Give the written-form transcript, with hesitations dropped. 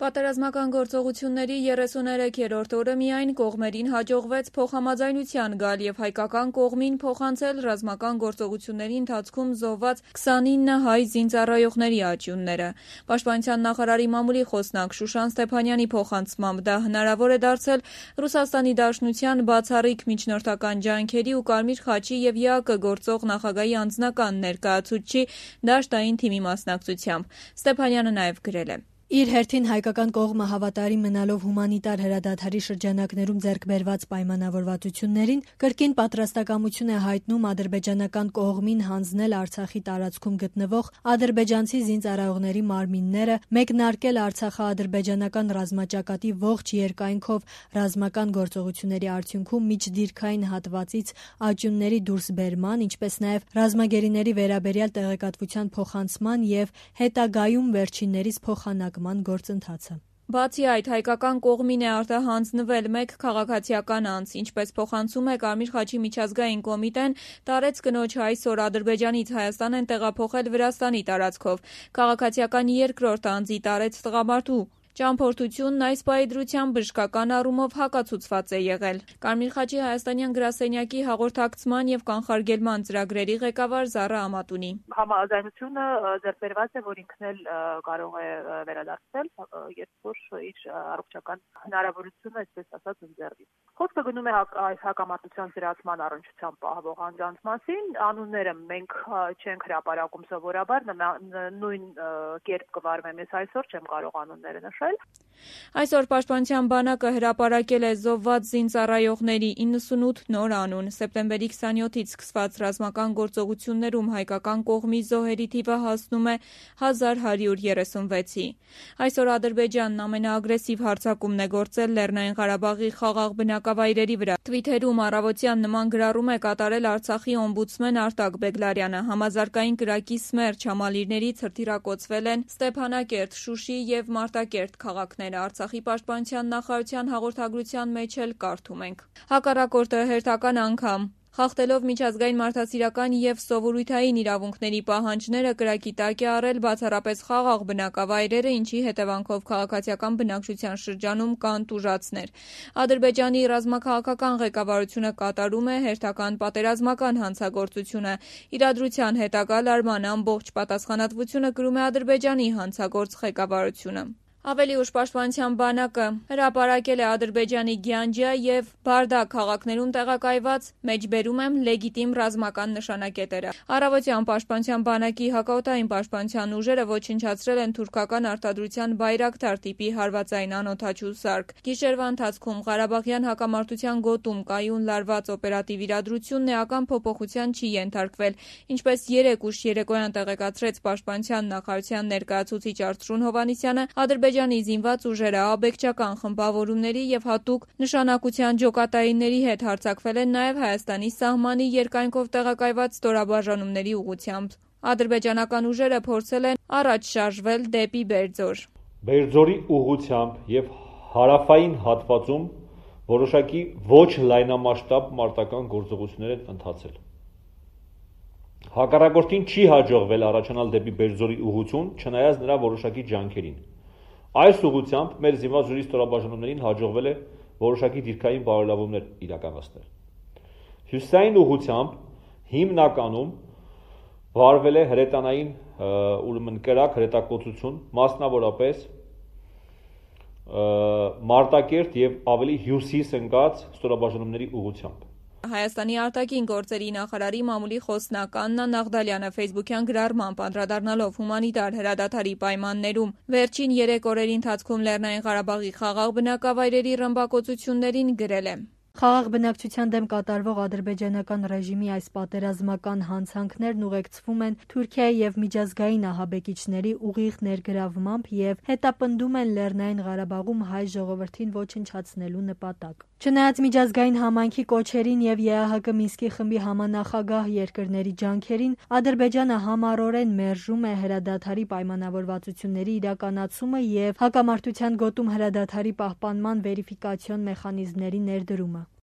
Պատերազմական գործողությունների 33-րդ օրը միայն կողմերին հաջողվեց փոխհամաձայնության գալ և հայկական կողմին փոխանցել ռազմական գործողությունների ընթացքում զոհված 29 հայ զինծառայողների աճյունները։ Պաշտպանության նախարարի մամուլի խոսնակ Շուշան Ստեփանյանի փոխանցմամբ դա հնարավոր է դարձել Ռուսաստանի Դաշնության բացառիկ միջնորդական ջանքերի ու Կարմիր խաչի և ԵԱԿ-ը գործող նախագահի անձնական ներկայացուցչի դաշտային թիմի մասնակցությամբ։ Ստեփանյանը նաև գրել է. Իր հերթին հայկական կողմը հավատարիմ մնալով հումանիտար հրադադարի շրջանակներում ձեռք բերված պայմանավորվածություններին, կրկին պատրաստակամություն է հայտնում ադրբեջանական կողմին հանձնել Արցախի տարածքում գտնվող ադրբեջանցի զինծառայողների մարմինները, մեկնարկել արցախա-ադրբեջանական ռազմաճակատի ողջ երկայնքով ռազմական գործողությունների արդյունքում միջդիրքային հատվածից աճյունների դուրսբերման, ինչպես նաև ռազմագերիների վերաբերյալ տեղեկատվության փոխանցման և հետագայում վերջիններիս փոխանակման գործընթացը։ Բացի այդ, հայկական կողմին է արտահանձնվել մեկ քաղաքացիական անձ, ինչպես փոխանցում է Կարմիր խաչի միջազգային կոմիտեն, տարեց կնոջ այսօր Ադրբեջանից Հայաստան են տեղափոխել Վրաստանի տարածքով։ Քաղաքացիական երկրորդ անձի տարեց տղամարդու ճամփորդությունն այս պահի դրությամբ բժշկական առումով հակացուցված է եղել։ Կարմիր խաչի հայաստանյան գրասենյակի հաղորդակցման և կանխարգելման ծրագրերի ղեկավար Զառա Ամատունի. Համաձայնությունը ձեռք բերված է, որ ինքն էլ կարող է վերադարձնել, երբ որ իր առողջական հնարավորությունը, այսպես ասած, ընձեռվի։ Խոսքը գնում է հակամարտության զրացման առնչությամբ պահվող անձանց մասին։ Անունները մենք չենք հրապարակում սովորաբար, նույն կերպ կվարվեմ ես այսօր, չեմ կարող անունները նշել։ Այսօր Պաշտպանության բանակը հրապարակել է զոհված զինծառայողների 98 նոր անուն։ Սեպտեմբերի 27-ից սկսված ռազմական գործողություններում հայկական կողմի զոհերի թիվը հասնում է 1136-ի։ Այսօր Ադրբեջանն ամենաագրեսիվ հարձակումն է գործել Լեռնային Ղարաբաղի խաղաղ բնակավայրերի վրա։ Թվիթերում առավոտյան նման գրառում է կատարել Արցախի օմբուդսմեն Արտակ Բեգլարյանը։ Համազարգային կրակի սմերջ համալիրներից հրթիռակոծվել են Ստեփանակերտ, Շուշի և Մարտակերտ քաղաքները։ Արցախի պաշտպանության նախարարության հաղորդագրության մեջ էլ կարդում ենք. հակառակորդը հերթական անգամ խախտելով միջազգային մարդասիրական և սովորութային իրավունքների պահանջները կրակի տակ է առել բացառապես խաղաղ բնակավայրերը, ինչի հետևանքով քաղաքացիական բնակչության շրջանում կան տուժածներ։ Ադրբեջանի ռազմաքաղաքական ղեկավարությունը կատարում է հերթական պատերազմական հանցագործությունը։ Իրադրության հետագա լարման ամբողջ պատասխանատվությունը կրում է Ադրբեջանի հանցագործ ղեկավարությունը։ Ավելի ուշ Պաշտպանության բանակը հրապարակել է Ադրբեջանի Գյանջա և Բարդա քաղաքներում տեղակայված մեջբերում եմ լեգիտիմ ռազմական նշանակետերը։ Առավոտյան Պաշտպանության բանակի հակաօդային պաշտպանության ուժերը ոչնչացրել են թուրքական արտադրության Բայրակթար տիպի հարվածային անօդաչու սարք։ Գիշերվա ընթացքում Ղարաբաղյան հակամարտության գոտում կայուն լարված օպերատիվ իրադրությունն էական փոփոխության չի ենթարկվել, ինչպես երեկ ուշ երեկոյան տեղեկացրեց Պաշտպանության նախարարության ներկայացուցիչ Արծրուն Հովհաննիսյանը, Ադրբեջանի զինված ուժերը աբեկչական խմբավորումների և հատուկ նշանակության ջոկատայինների հետ հարձակվել են նաև Հայաստանի սահմանի երկայնքով տեղակայված ստորաբաժանումների ուղղությամբ։ Ադրբեջանական ուժերը փորձել են առաջ շարժվել դեպի Բերձոր։ Բերձորի ուղղությամբ և հարավային հատվածում որոշակի ոչ լայնամասշտաբ մարտական գործողություններ են ընթացել։ Հակառակորդին չի հաջողվել առաջանալ դեպի Բերձորի ուղղություն, չնայած նրա որոշակի ջանքերին։ Այս ուղղությամբ մեր զինված ուժերի ստորաբաժանումներին հաջողվել է որոշակի դիրքային բարելավումներ իրականացնել։ Հյուսիսային ուղղությամբ հիմնականում վարվել է հրետանային ուրեմն կրակ հրետակոծություն, մասնավորապես Մարտակերտ և ավելի հյուսիս ընկած ստորաբաժանումների ուղղությամբ։ Հայաստանի արտաքին գործերի նախարարի մամուլի խոսնակ Աննա Նաղդալյանը ֆեյսբուքյան գրառմամբ անդրադառնալով հումանիտար հրադադարի պայմաններում վերջին 3 օրերի ընթացքում Լեռնային Ղարաբաղի խաղաղ բնակավայրերի ռմբակոծություններին գրել է. Խաղաղ բնակչության դեմ կատարվող ադրբեջանական ռեժիմի այս պատերազմական հանցանքներն ուղեկցվում են Թուրքիայի և միջազգային ահաբեկիչների ուղիղ ներգրավմամբ և հետապնդում են Լեռնային Ղարաբաղում հայ ժողովրդին ոչնչացնելու նպատակ։ Չնայած միջազգային համայնքի կոչերին և ԵԱՀԿ Մինսկի խմբի համանախագահ երկրների ջանքերին, Ադրբեջանը համառորեն մերժում է հրադադարի պայմանավորվածությունների իրականացումը և հակամարտության գոտում հրադադարի պահպանման վերիֆիկացիոն մեխանիզմների ներդրումը։